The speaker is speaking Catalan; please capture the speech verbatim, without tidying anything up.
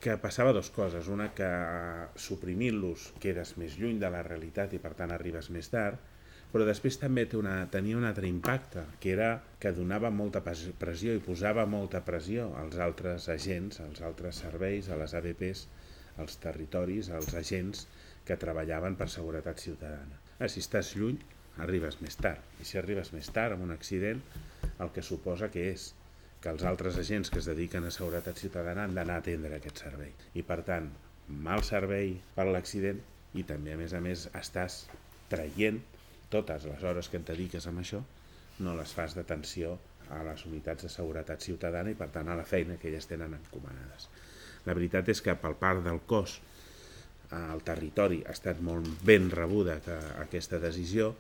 que passava dues coses. Una, que suprimint-los quedes més lluny de la realitat i per tant arribes més tard, però després també té una, tenia un altre impacte, que era que donava molta pressió i posava molta pressió als altres agents, als altres serveis, a les A B Pes, als territoris, als agents que treballaven per seguretat ciutadana. Ah, si estàs lluny, arribes més tard. I si arribes més tard amb un accident, el que suposa que és que els altres agents que es dediquen a seguretat ciutadana han d'anar a atendre aquest servei. I per tant, mal servei per l'accident i també, a més a més, estàs traient totes les hores que et dediques amb això, no les fas d'atenció a les unitats de seguretat ciutadana i per tant a la feina que elles tenen encomanades. La veritat és que per part del cos al territori ha estat molt ben rebuda aquesta decisió,